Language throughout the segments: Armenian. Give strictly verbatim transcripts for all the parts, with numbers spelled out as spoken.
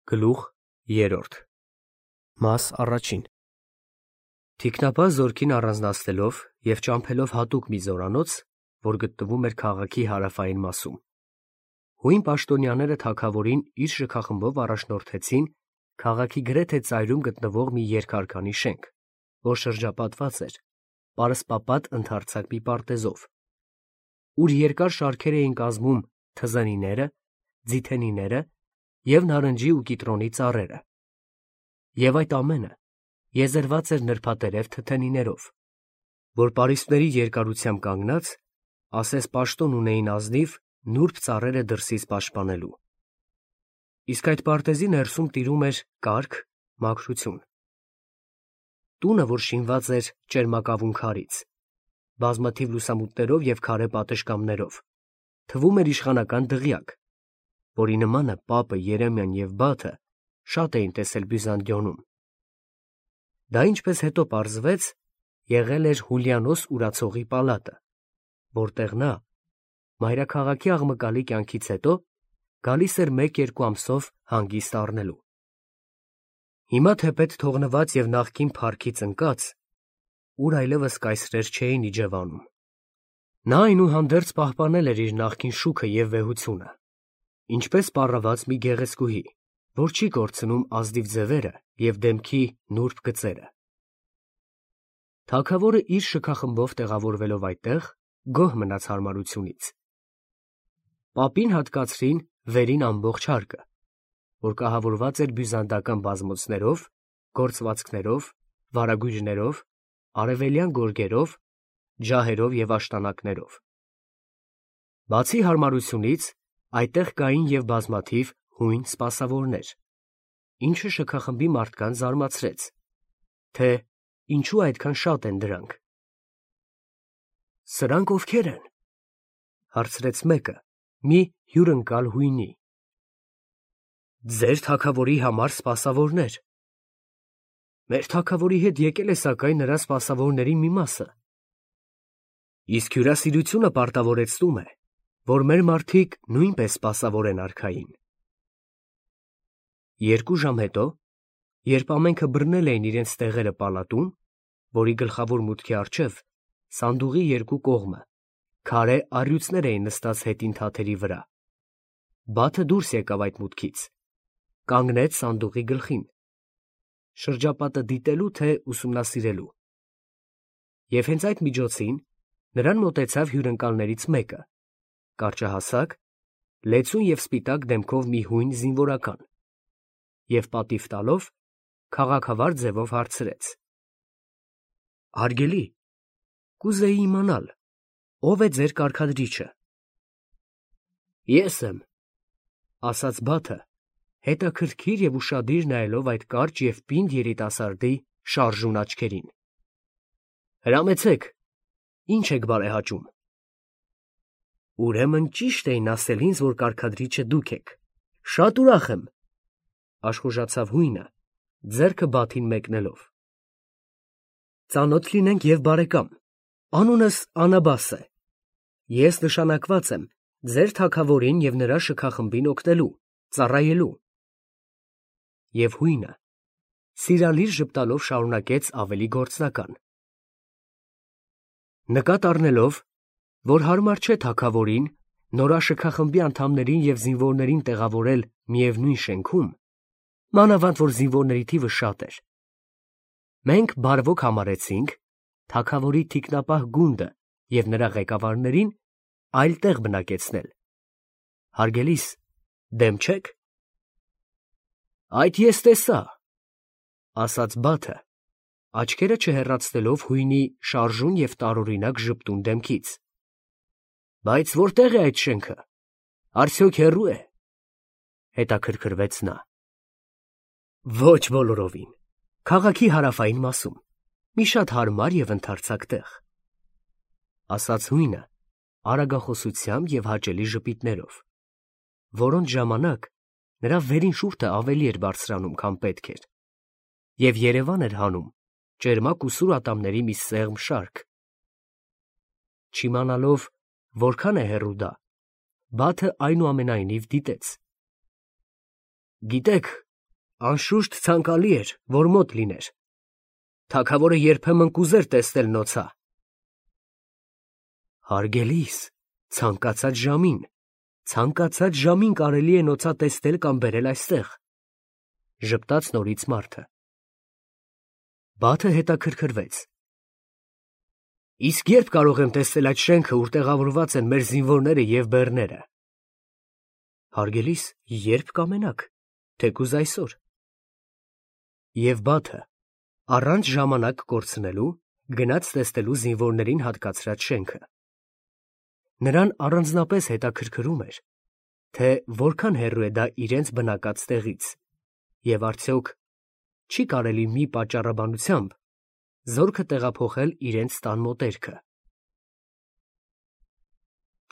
Գլուխ երրորդ Մաս առաջին Թիկնապահ զորքին առանձնացնելով և ճամփելով հատուկ մի զորանոց, որ գտնվում էր քաղաքի հարավային մասում, հույն պաշտոնյաները թագավորին իր շքախմբով առաջնորդեցին քաղաքի գրեթե ծայրում գտնվող մի երկհարկանի շենք, որ շրջապատված էր պարսպապատ ընդարձակ մի պարտեզով, ուր երկար շարքեր էին կազմում թզենիները, ձիթենիները և նարնջի ու կիտրոնի ծառերը, և այդ ամենը եզերված էր նրբատերև թթենիներով, որ պարիսպների երկարությամբ կանգնած, ասես պաշտոն ունեին ազնիվ նուրբ ծառերը դրսից պաշտպանելու. իսկ այդ պարտեզի ներսում տիրում էր կարգ, մաքրություն։ Տունը, որ շինված էր ճերմակավուն քարից, բազմաթիվ լուսամուտներով և քարե պատշգամբներով, թվում էր իշխանական դղյակ, որի նմանը պապը, Երեմիան և Բաթը շատ էին տեսել Բյուզանդիոնում։ Դա, ինչպես հետո պարզվեց, եղել էր Հուլիանոս Ուրացողի պալատը, որտեղ նա, մայրաքաղաքի աղմկալի կյանքից հետո, գալիս էր մեկ֊երկու ամսով հանգիստ առնելու։ Հիմա թեպետ թողնված և նախկին փառքից ընկած, ուր այլևս կայսրեր չէին իջևանում, նա այնուհանդերձ պահպանել էր իր նախկին շուքը և վեհությունը, ինչպես պառաված մի գեղեցկուհի, որ չի կորցնում ազնիվ ձևերը և դեմքի նուրբ գծերը։ Թագավորը իր շքախմբով տեղավորվելով այդտեղ, գոհ մնաց հարմարությունից։ Պապին հատկացրին վերին ամբողջ հարկը, որ կահավորված էր բյուզանդական բազմոցներով, գործվածքներով, վարագույրներով, արևելյան գորգերով, ջահերով և աշտանակներով։ Բացի հարմարությունից, այդտեղ կային և բազմաթիվ հույն սպասավորներ, ինչը շքախմբի մարդկանց զարմացրեց, թե ինչու այդքան շատ են դրանք։ «Սրանք ովքե՞ր են», հարցրեց մեկը, մի հյուրընկալ հույնի։ «Ձեր թագավորի համար սպասավորներ։ Մեր թագավորի հետ եկել է սակայն նրա սպասավորների մի մասը։ Իսկ հյուրասիրությունը պարտավորեցնում է, որ մեր մարդիկ նույնպես սպասավոր են արքային»։ Երկու ժամ հետո, երբ ամենքը բռնել էին իրենց տեղերը պալատում, որի գլխավոր մուտքի առջև, սանդուղի երկու կողմը, քարե առյուծներ էին նստած հետին թաթերի վրա, Բաթը դուրս եկավ այդ մուտքից, կանգնեց սանդուղի գլխին, շրջապատը դիտելու թե ուսումնասիրելու։ Եվ հենց այդ միջոցին նրան մոտեցավ հյուրընկալներից մեկը, կարճահասակ, լեցուն և սպիտակ դեմքով մի հույն զինվորական, և պատիվ տալով, քաղաքավար ձևով հարցրեց. «Հարգելի, կուզեի իմանալ, ո՞վ է ձեր կարգադրիչը»։ «Ես եմ», ասաց Բաթը, հետաքրքիր և ուշադիր նայելով այդ կարճ և պինդ երիտասարդի շարժուն աչքերին։ «Հրամեցեք, ի՞նչ եք բարեհաճում»։ «Ուրեմն ճիշտ էին ասել ինձ, որ կարգադրիչը դուք եք, շատ ուրախ եմ», աշխուժացավ հույնը, ձեռքը Բաթին մեկնելով։ «Ծանոթ լինենք և բարեկամ, անունս Անաբաս է, ես նշանակված եմ ձեր թագավորին և նրա շքախմբին օգնելու, ծառայելու»։ Եվ հույնը սիրալիր ժպտալով շարունակեց ավելի գործնական. «Նկատ առնելով, որ հարմար չէ թագավորին նորաշքախմբի անդամներին և զինվորներին տեղավորել միևնույն շենքում, մանավանդ որ զինվորների թիվը շատ էր, մենք բարվոք համարեցինք թագավորի թիկնապահ գունդը և նրա ղեկավարներին այլ տեղ բնակեցնել։ Հարգելիս, դեմ չե՞ք»։ «Այդ ես տեսա», ասաց Բաթը, աչքերը չհեռացնելով հույնի շարժուն և տարօրինակ ժպտուն դեմքից։ «Բայց որտե՞ղ է այդ շենքը, արդյոք հեռո՞ւ է», հետաքրքրվեց նա։ «Ոչ բոլորովին, քաղաքի հարավային մասում, մի շատ հարմար և ընդարձակ տեղ», ասաց հույնը արագախոսությամբ և հաճելի ժպիտներով, որոնց ժամանակ նրա վերին շուրթը ավելի էր բարձրանում, քան պետք էր, և երևան էր հանում ճերմակ ու սուր ատամների մի սեղմ շարք։ Չիմանալով որքան է հեռու դա, Բաթը այնուամենայնիվ դիտեց։ «Գիտեք, անշուշտ ցանկալի էր, որ մոտ լիներ։ Թագավորը երբեմն կուզեր տեսնել նոցա։ Հարգելիս, ցանկացած ժամին, ցանկացած ժամին կարելի է նոցա տեսնել կամ բերել այստեղ, ժպտաց նորից մարդը։ Բաթը հետաքրքրվեց։ Իսկ երբ կարող եմ տեսնել այդ շենքը, ուր տեղավորված են մեր զինվորները և բեռները։ Հարգելիս, երբ կամենաք, թեկուզ այսօր։ Եվ Բաթը, առանց ժամանակ կորցնելու, գնաց տեսնելու զինվորներին հատկացրած շենքը։ Նրան առանձնապես հետաքրքրում էր, թե որքան հեռու է դա իրենց բնակած տեղից, և արդյոք չի կարելի մի պատճառաբանությամբ զորքը տեղափոխել իրենց տան մոտերքը։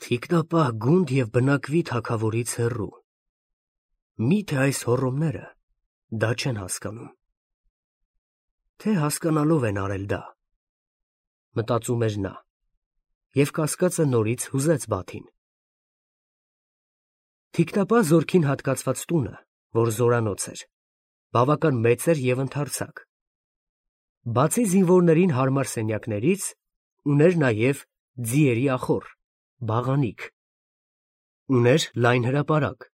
Թիկնապահ գունդ և բնակվի թագավորից հեռու։ Միթե այս հոռոմները դա չեն հասկանում, թե հասկանալով են արել դա, մտածում էր նա, և կասկածը նորից հուզեց Բաթին։ Թիկնապահ զորքին հատկացված տունը, որ զորանոց էր, բավական մեծ էր և ընդարձակ։ Բացի զինվորներին հարմար սենյակներից, ուներ նաև ձիերի ախոռ, բաղանիք։ Ուներ լայն հրապարակ,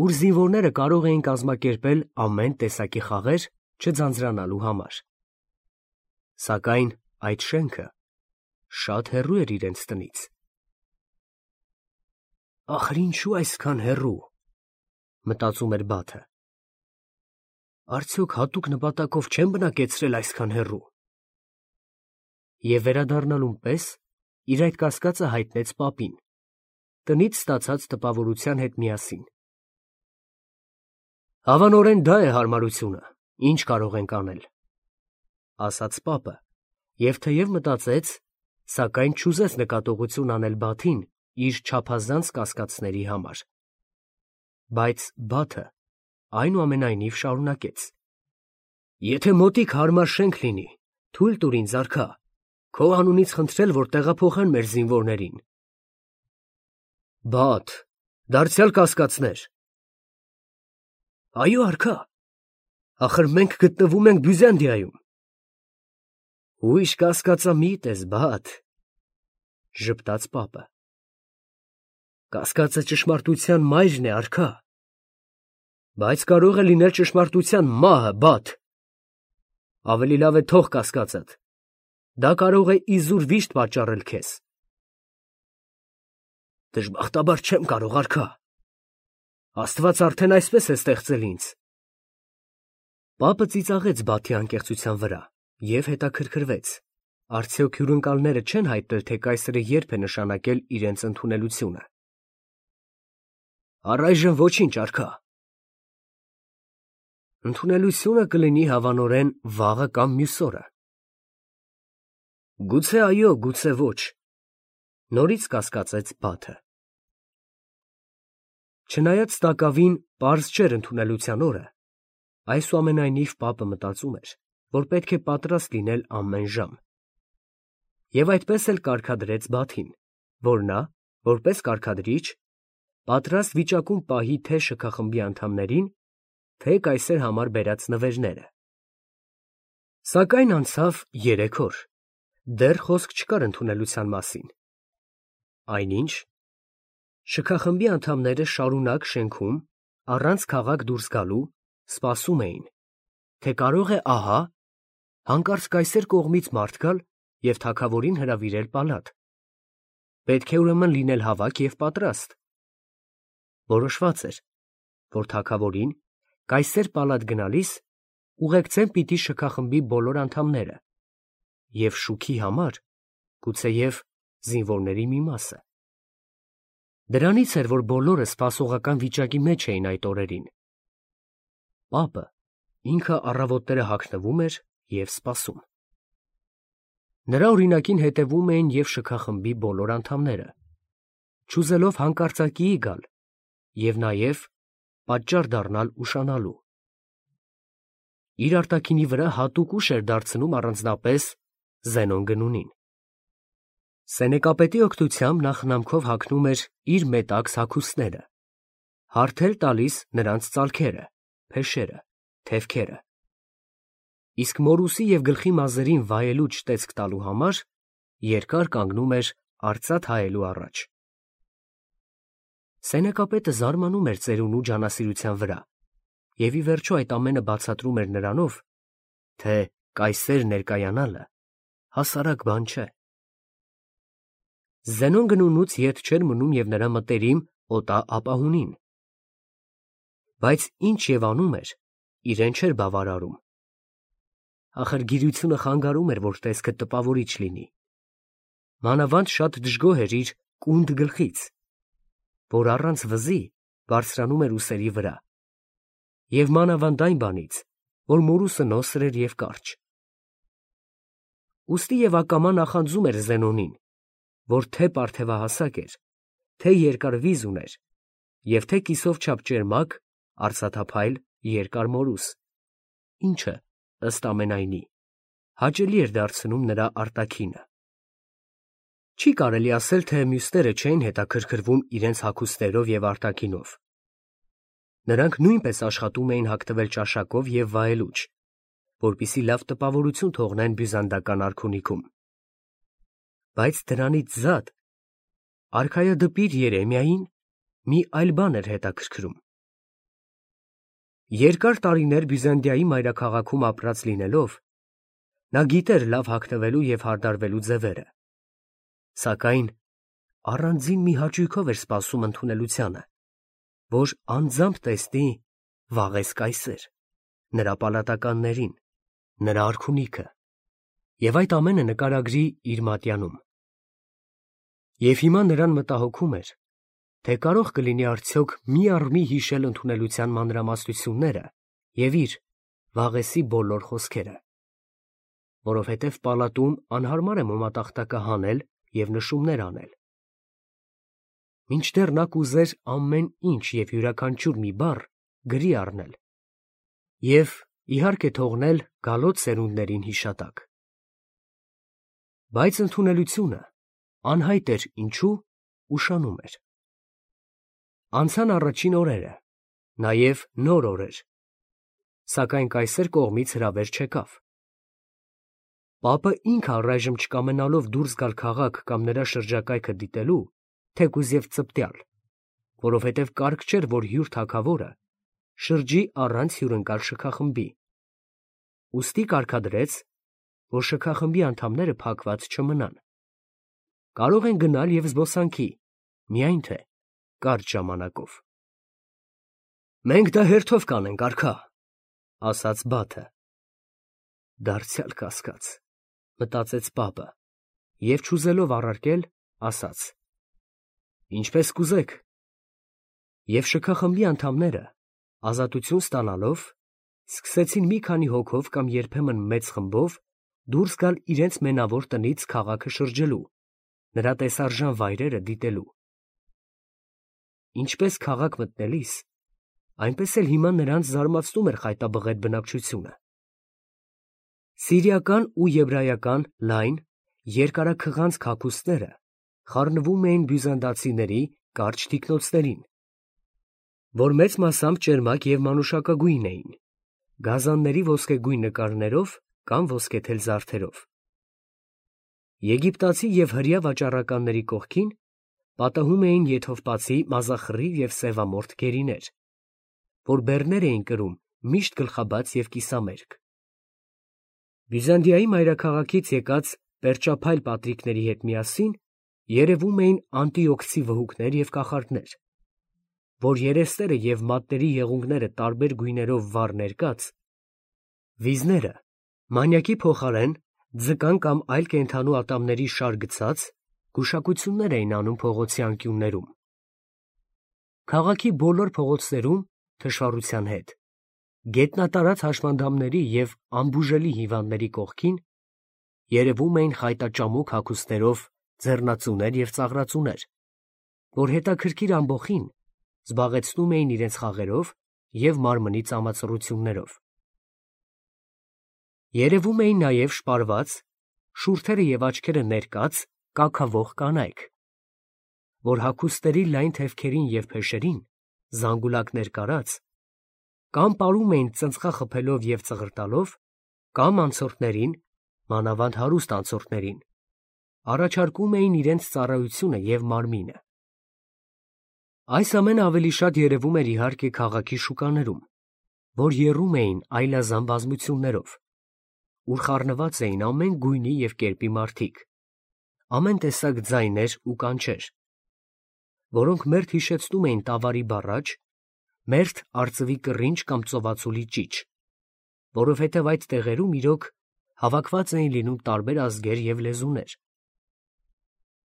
ուր զինվորները կարող էին կազմակերպել ամեն տեսակի խաղեր չձանձրանալու համար։ Սակայն այդ շենքը շատ հեռու էր իրենց տնից։ Ախր ինչու այսքան հեռու, մտածում էր Բաթը։ Արդյոք հատուկ նպատակով չեն բնակեցրել այսքան հեռու։ Եվ վերադառնալուն պես իր այդ կասկածը հայտնեց պապին, տնից ստացած տպավորության հետ միասին։ Հավանորեն դա է հարմարությունը, ինչ կարող ենք անել, ասաց պապը, և թեև մտածեց, սակայն չուզեց նկատողություն անել Բաթին իր չափազանց կասկածների համար։ Բայց Բաթը այնուամենայնիվ շարունակեց. Եթե մոտիկ հարմար շենք լինի, թույլ տուր ինձ, արքա, քո անունից խնդրել, որ տեղափոխեն մեր զինվորներին։ Բաթ, դարձյալ կասկածներ։ Այո, արքա, ախր մենք գտնվում ենք Բյուզանդիայում։ Ույժ կասկածամիտ ես, Բաթ, ժպտաց պապը։ Կասկածը ճշմարտության մայրն է, արքա, բայց կարող է լինել ճշմարտության մահը, Բաթ։ Ավելի լավ է թող կասկածդ, դա կարող է իզուր վիշտ պատճառել քեզ։ Դժբախտաբար չեմ կարող, արքա, Աստված արդեն այսպես է ստեղծել ինձ։ Պապը ծիծաղեց Բաթի անկեղծության վրա և հետաքրքրվեց, արդյոք հյուրընկալները չեն հայտնել, թե կայսրը երբ է նշանակել իրենց ընդունելությունը։ Առայժմ ոչինչ, արքա։ Ընդունելությունը կլինի հավանորեն վաղը կամ մյուս օրը։ Գուցե այո, գուցե ոչ, նորից կասկածեց Բաթը։ Չնայած տակավին պարզ չէր ընդունելության օրը, այսուամենայնիվ պապը մտածում էր, որ պետք է պատրաստ լինել ամեն ժամ։ Եվ այդպես էլ կարգադրեց Բաթին, որ նա, որպես կարգադրիչ, պատրաստ վիճակում պահի թե շքախմբի անդամներին, թե կայսեր համար բերած նվերները։ Սակայն անցավ երեք օր, դեռ խոսք չկար ընդունելության մասին։ Այնինչ, շքախմբի անդամները շարունակ շենքում, առանց քաղաք դուրս գալու, սպասում էին, թե կարող է ահա հանկարծ կայսեր կողմից մարդ գալ և թագավորին հրավիրել պալատ։ Պետք է ուրեմն լինել հավաք և պատրաստ։ Որոշված էր, որ թագավորին կայսեր պալատ գնալիս ուղեկցեն պիտի շքախմբի բոլոր անդամները և շուքի համար գուցեև զինվորների մի մասը։ Դրանից էր, որ բոլորը սպասողական վիճակի մեջ էին այդ օրերին։ Պապը ինքը առավոտները հագնվում էր և սպասում։ Նրա օրինակին հետևում էին և շքախմբի բոլոր անդամները, չուզելով հանկարծակիի գալ և նաև պատճառ դառնալ ուշանալու։ Իր արտաքինի վրա հատուկ ուժ էր դարձնում առանձնապես Զենոն Գնունին։ Սենեկապետի օգնությամբ նա խնամքով հագնում էր իր մետաքս հագուստները, հարթել տալիս նրանց ծալքերը, փեշերը։ թևքերը։ Իսկ մորուսի և գլխի մազերին վայելուչ տեսք տալու համար երկար կանգնում էր արծաթ հայելու առաջ։ Սենեկապետը զարմանում էր ծերունու ջանասիրության վրա և ի վերջո այդ ամենը բացատրում էր նրանով, թե կայսեր ներկայանալը հասարակ բան չէ։ Զենոն գնունուց ետ չէր մնում և նրա մտերիմ օտա ապահունին, բայց ինչ և անում էր, իրեն չէր բավարարում։ Ախր գիրությունը խանգարում էր, որ տեսքը տպավորիչ լինի։ Մանավանդ շատ դժգոհ էր իր կունդ գլխից, որ առանց վզի բարձրանում էր ուսերի վրա, և մանավանդ այն բանից, որ մորուսը նոսր էր և կարճ։ Ուստի և ակամա նախանձում էր Զենոնին, որ թե պարթևահասակ էր, թե երկար վիզ ուներ և թե կիսով չափ ճերմակ, արծաթափայլ, երկար մորուս, ինչը, ըստ ամենայնի, հաճելի էր դարձնում նրա արտաքինը։ Չի կարելի ասել, թե մյուսները չէին հետաքրքրվում իրենց հագուստներով և արտաքինով։ Նրանք նույնպես աշխատում էին հագնվել ճաշակով և վայելուչ, որպեսզի լավ տպավորություն թողնեն բյուզանդական արքունիքում։ Բայց դրանից զատ արքայադպիր Երեմիային մի այլ բան էր հետաքրքրում։ Երկար տարիներ Բյուզանդիայի մայրաքաղաքում ապրած լինելով, նա գիտեր լավ հագնվելու և հարդարվելու ձևերը, սակայն առանձին մի հաճույքով էր սպասում ընդունելությանը, որ անձամբ տեսնի վաղես կայսեր, նրա պալատականներին, նրա արքունիքը, և այդ ամենը նկարագրի իր մատյանում։ Եվ հիմա նրան մտահոգում էր, թե կարող կլինի արդյոք մի առ մի հիշել ընդունելության մանրամասնությունները և իր վաղեսի բոլոր խոսքերը, որովհետև պալատում անհարմար է մոմատախտակը հանել և նշումներ անել։ Մինչդեռ նա կուզեր ամեն ինչ և յուրաքանչյուր մի բառ գրի առնել և, իհարկե, թողնել գալոց սերունդներին հիշատակ։ Բայց ընդունելությունը, անհայտ էր ինչու, ուշանում էր։ Անցան առաջին օրերը, նաև նոր օրեր, սակայն կայսեր կողմից հրավեր չեկավ։ Պապը ինքը առայժմ չկամենալով դուրս գալ քաղաք կամ նրա շրջակայքը դիտելու, թեկուզ և ծպտյալ, որովհետև կարգ չէր, որ հյուր թագավորը շրջի առանց հյուրընկալ շքախմբի, ուստի կարգադրեց, որ շքախմբի անդամները փակված չմնան, կարող են գնալ և զբոսանքի, միայն թե կարճ ժամանակով։ «Մենք դա հերթով կանենք, արքա», ֊ ասաց Բաթը։ «Դարձյալ կասկած», ֊ մտածեց պապը և, չուզելով առարկել, ասաց. «Ինչպես կուզեք»։ Եվ շքախմբի անդամները, ազատություն ստանալով, սկսեցին մի քանի հոգով կամ երբեմն մեծ խմբով դուրս գալ իրենց մենավոր տնից քաղաքը շրջելու, նրա տեսարժան վայրերը դիտելու։ Ինչպես քաղաք մտնելիս, այնպես էլ հիմա նրանց զարմացնում էր խայտաբղետ բնակչությունը։ Սիրիական ու եբրայական լայն, երկարաքղանցք հագուստները խառնվում էին բյուզանդացիների կարճ թիկնոցներին, որ մեծ մասամբ ճերմակ և մանուշակագույն էին, գազանների ոսկեգույն նկարներով կամ ոսկեթել զարդերով։ Եգիպտացի և հրեա վաճառականների կողքին պատահում էին եթովպացի մազախռիվ և սևամորթ գերիներ, որ բեռներ էին կրում միշտ գլխաբաց և կիսամերկ։ Բյուզանդիայի մայրաքաղաքից եկած պերճափայլ պատրիկների հետ միասին երևում էին անտիոքսի վհուկներ և կախարդներ, որ երեսները և մատների եղունգները տարբեր գույներով վառ ներկած, վիզները մանյակի փոխարեն ձկան կամ այլ կենդանու ատամների շար գցած, գուշակություններ էին անում փողոցի անկյուններում։ Քաղաքի բոլոր փողոցներում, թշվառության հետ, գետնատարած հաշմանդամների և անբուժելի հիվանդների կողքին երևում էին խայտաճամուկ հագուստներով ձեռնածուներ և ծաղրածուներ, որ հետաքրքիր ամբոխին զբաղեցնում էին իրենց խաղերով և մարմնի ծամացռություններով։ Երևում էին նաև շպարված, շուրթերը և աչքերը ներկած կաքավող կանայք, որ հագուստների լայն թևքերին և փեշերին զանգուլակներ կարած, կամ պարում էին ծնծղա խփելով և ծղրտալով, կամ անցորդներին, մանավանդ հարուստ անցորդներին, առաջարկում էին իրենց ծառայությունը և մարմինը։ Այս ամենը ավելի շատ երևում էր իհարկե քաղաքի շուկաներում, որ եռում էին այլազան բազմություններով, ուր խառնված էին ամեն գույնի և կերպի մարդիկ, ամեն տեսակ ձայներ ու կանչեր, որոնք մերթ հիշեցնում էին տավարի բառաջ, մերթ արծվի կռինչ կամ ծովածուլի ճիչ, որովհետև այդ տեղերում իրոք հավաքված էին լինում տարբեր ազգեր և լեզուներ.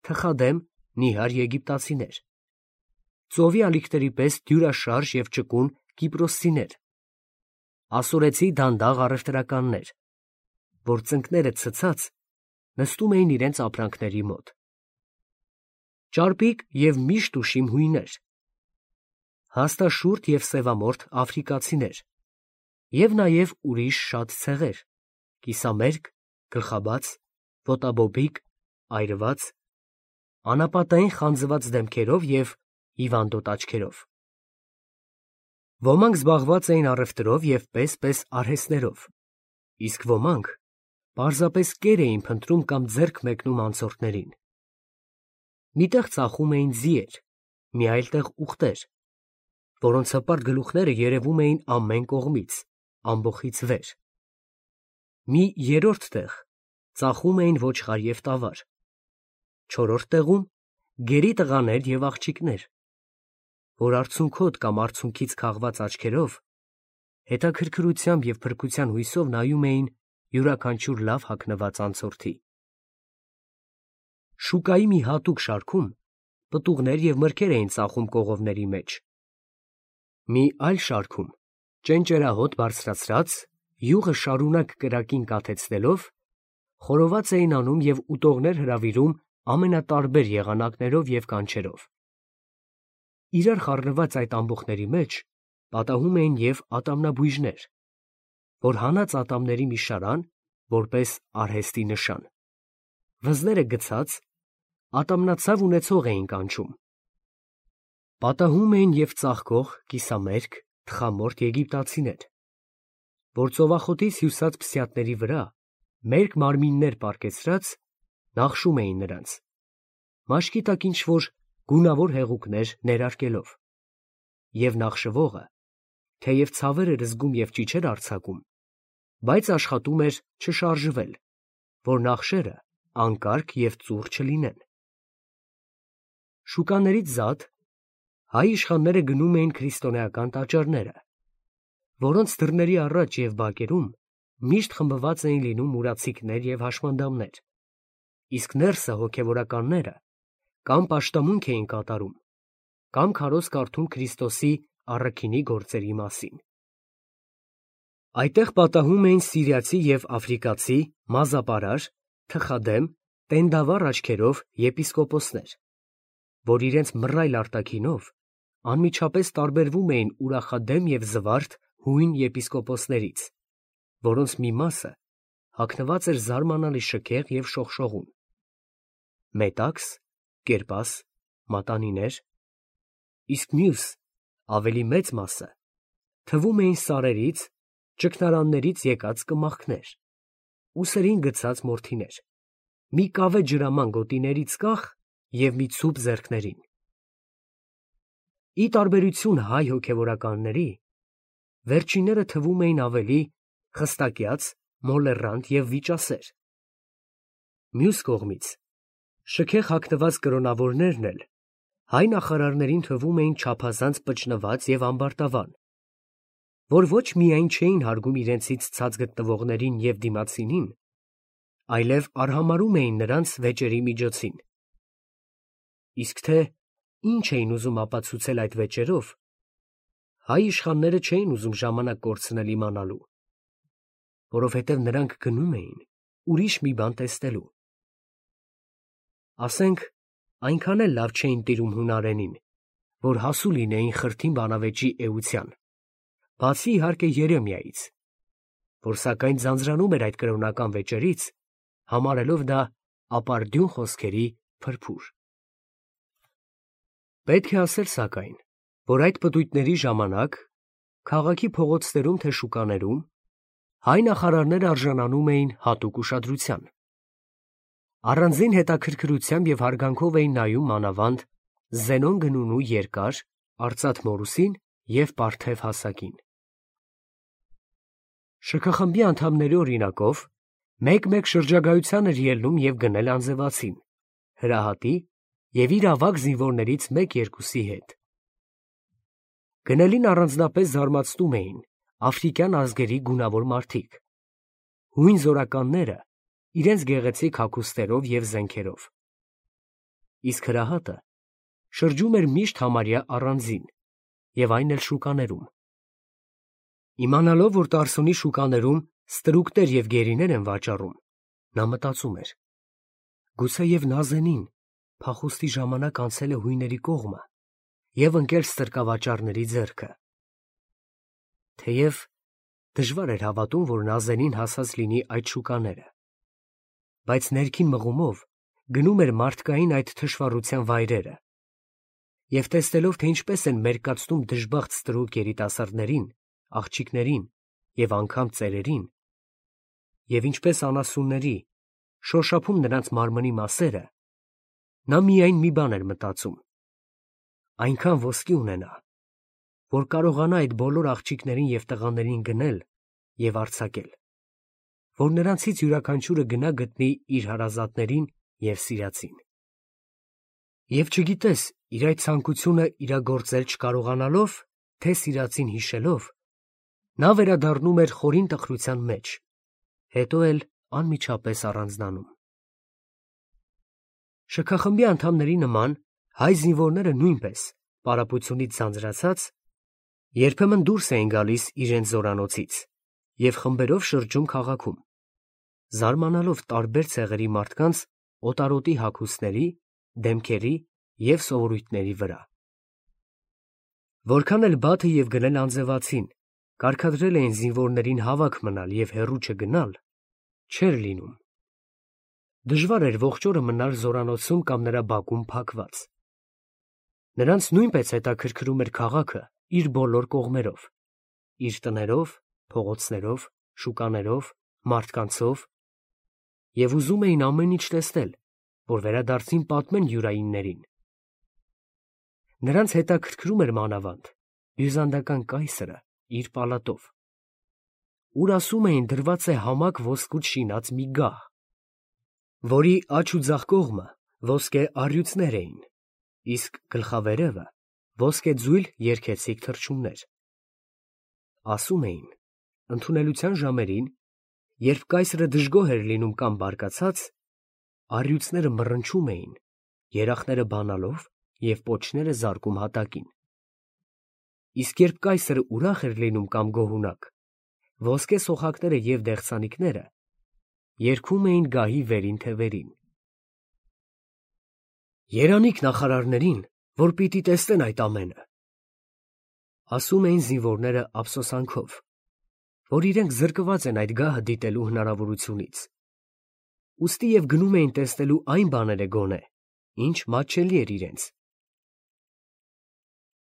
թխադեմ, նիհար եգիպտացիներ, ծովի ալիքների պես դյուրաշարժ և ճկուն կիպրոսցիներ, ասորեցի դանդաղ առևտրականներ, որ ծնկները ցցած նստում էին իրենց ապրանքների մոտ, ճարպիկ և միշտ ուշիմ հույներ, հաստաշուրթ և սևամորթ աֆրիկացիներ և նաև ուրիշ շատ ցեղեր, կիսամերկ, գլխաբաց, ոտաբոբիկ, այրված, անապատային խանձված դեմքերով և հիվանդոտ աչքերով։ Ոմանք զբաղված էին առևտրով և պես-պես արհեստներով, իսկ ոմանք պարզապես կեր էին փնտրում կամ ձեռք մեկնում անցորդներին։ Մի տեղ ծախում էին ձիեր, մի այլ տեղ ուղտեր, որոնց հպարտ գլուխները երևում էին ամեն կողմից, ամբոխից վեր։ Մի երրորդ տեղ ծախում էին ոչխար և տավար, չորրորդ տեղում գերի տղաներ և աղջիկներ, որ արցունքոտ կամ արցունքից քաղված աչքերով հետաքրքրությամբ և փրկության հույսով նայում էին յուրաքանչյուր լավ հագնված անցորդի։ Շուկայի մի հատուկ շարքում պտուղներ և մրգեր էին ծախում կողովների մեջ, մի այլ շարքում ճենճերահոտ բարձրացրած, յուղը շարունակ կրակին կաթեցնելով, խորոված էին անում և ուտողներ հրավիրում ամենատարբեր եղանակներով և կանչերով։ Իրար խառնված այդ ամբոխների մեջ պատահում էին և ատամնաբույժներ, որ հանած ատամների մի շարան, որպես արհեստի նշան, վզները գցած, ատամնացավ ունեցող էին կանչում։ Պատահում էին և ծաղկող, կիսամերկ, թխամորթ եգիպտացիներ, որ ծովախոտից հյուսած փսյատների վրա մերկ մարմիններ պառկեցրած նախշում էին նրանց, մաշկի տակ ինչ-որ գունավոր հեղուկներ ներարկելով, և նախշվողը, թեև ցավեր էր զգում և ճիչեր արձակում, բայց աշխատում էր չշարժվել, որ նախշերը անկարգ և ծուռ չլինեն։ Շուկաներից զատ հայ իշխանները գնում էին քրիստոնեական տաճարները, որոնց դռների առաջ և բակերում միշտ խմբված էին լինում մուրացիկներ և հաշմանդամներ, իսկ ներսը հոգևորականները կամ պաշտամունք էին կատարում, կամ քարոզ կարդում Քրիստոսի առաքինի գործերի մասին։ Այդտեղ պատահում էին սիրիացի և աֆրիկացի մազապարար, թխադեմ, տենդավառ աչքերով եպիսկոպոսներ, որ իրենց մռայլ արտաքինով անմիջապես տարբերվում էին ուրախադեմ և զվարթ հույն եպիսկոպոսներից, որոնց մի մասը հագնված էր զարմանալի շքեղ և շողշողուն, մետաքս, կերպաս, մատանիներ, իսկ մյուս ավելի մեծ մասը թվում էին սարերից, ճգնարաններից եկած կմախքներ, ուսերին գցած մորթիներ, մի կավե ջրաման գոտիներից կախ և մի ցուպ ձեռքներին։ Ի տարբերություն հայ հոգևորականների, վերջինները թվում էին ավելի խստակյաց, մոլեռանդ և վիճասեր։ Մյուս կողմից, շքեղ հագնված կրոնավորներն էլ հայ նախարարներին թվում էին չափազանց պճնված և ամբարտավան, որ ոչ միայն չէին հարգում իրենցից ցած գտնվողներին և դիմացինին, այլև արհամարհում էին նրանց վեճերի միջոցին։ Իսկ թե ինչ էին ուզում ապացուցել այդ վեճերով, հայ իշխանները չէին ուզում ժամանակ կորցնել իմանալու, որովհետև նրանք գնում էին ուրիշ մի բան տեսնելու։ Ասենք, այնքան էլ լավ չէին տիրում հունարենին, որ հասու լինեին խրթին բանավեճի էության, բացի իհարկե Երեմիայից, որ սակայն ձանձրանում էր այդ կրոնական վեճերից, համարելով դա ապարդյուն խոսքերի փրփուր։ Պետք է ասել սակայն, որ այդ պտույտների ժամանակ քաղաքի փողոցներում թե շուկաներում, հայ նախարարները արժանանում էին հատուկ ուշադրության։ Առանձին հետաքրքրությամբ և հարգանքով էին նայում մանավանդ Զենոն գնունու երկար, արծաթ մորուսին և պարթև հասակին։ Շքխմբի անդամների օրինակով մեկ-մեկ շրջագայության էր ելնում և գնել անձևացին, հրահատի և իր ավագ զինվորներից մեկ-երկուսի հետ։ Գնելին առանձնապես զարմացնում էին աֆրիկյան ազգերի գունավոր մարդիկ, հույն զորականները իրենց գեղեցիկ հագուստերով և զենքերով, իսկ հրահատը շրջում էր միշտ համարյա առանձին, և այն էլ շուկաներում։ Իմանալով, որ Տարսոնի շուկաներում ստրուկներ և գերիներ են վաճառում, նա մտածում էր. գուցեև Նազենին փախուստի ժամանակ անցել է հույների կողմը և ընկել ստրկավաճառների ձեռքը։ Թեև դժվար էր հավատում, որ Նազենին հասած լինի այդ շուկաները, բայց ներքին մղումով գնում էր մարդկային այդ թշվառության վայրերը և տեսնելով, թե ինչպես են մերկացնում դժբախտ ստրուկ երիտասարդներին, աղջիկներին և անգամ ծերերին, և ինչպես անասունների շոշափում նրանց մարմնի մասերը, նա միայն մի բան էր մտածում. այնքան ոսկի ունենա, որ կարողանա այդ բոլոր աղջիկներին և տղաներին գնել և արձակել, որ նրանցից յուրաքանչյուրը գնա գտնի իր հարազատներին և սիրածին։ Եվ չգիտես իր այդ ցանկությունը իրագործել չկարողանալով, թե սիրածին հիշելով, նա վերադառնում էր խորին տխրության մեջ, հետո էլ անմիջապես առանձնանում։ Շքխմբի անդամների նման հայ զինվորները նույնպես, պարապությունից ձանձրացած, երբեմն դուրս էին գալիս իրենց զորանոցից և խմբերով շրջում քաղաքում, զարմանալով տարբեր ցեղերի մարդկանց օտարոտի հագուստների, դեմքերի և սովորույթների վրա։ Որքան էլ բաթը և գնել անձևացին կարգադրել էին զինվորներին հավաք մնալ և հեռու չգնալ, չէր լինում։ Դժվար էր ողջ օրը մնալ զորանոցում կամ նրա բակում փակված։ Նրանց նույնպես հետաքրքրում էր քաղաքը իր բոլոր կողմերով, իր տներով, փողոցներով, շուկաներով, մարդկանցով, և ուզում էին ամեն ինչ տեսնել, որ վերադարձին պատմեն յուրայիններին։ Նրանց հետաքրքրում էր մանավանդ բյուզանդական կայսրը իր պալատով, ուր ասում էին դրված է համակ ոսկուց շինած մի գահ, որի աջ ու ձախ կողմը ոսկե առյուծներ էին, իսկ գլխավերևը ոսկեձույլ երգեցիկ թռչուններ։ Ասում էին, ընդունելության ժամերին, երբ կայսրը դժգոհ էր լինում կամ բարկացած, առյուծները մռնչում էին, երախները բանալով և պոչները զարկում հատակին, իսկ երբ կայսրը ուրախ էր լինում կամ գոհունակ, ոսկե սոխակները և դեղցանիկները երգում էին գահի վերին թևերին։ Երանիք նախարարներին, որ պիտի տեսնեն այդ ամենը, ասում էին զինվորները ափսոսանքով, որ իրենք զրկված են այդ գահը դիտելու հնարավորությունից, ուստի և գնում էին տեսնելու այն բաները գոնե, ինչ մատչելի էր իրենց,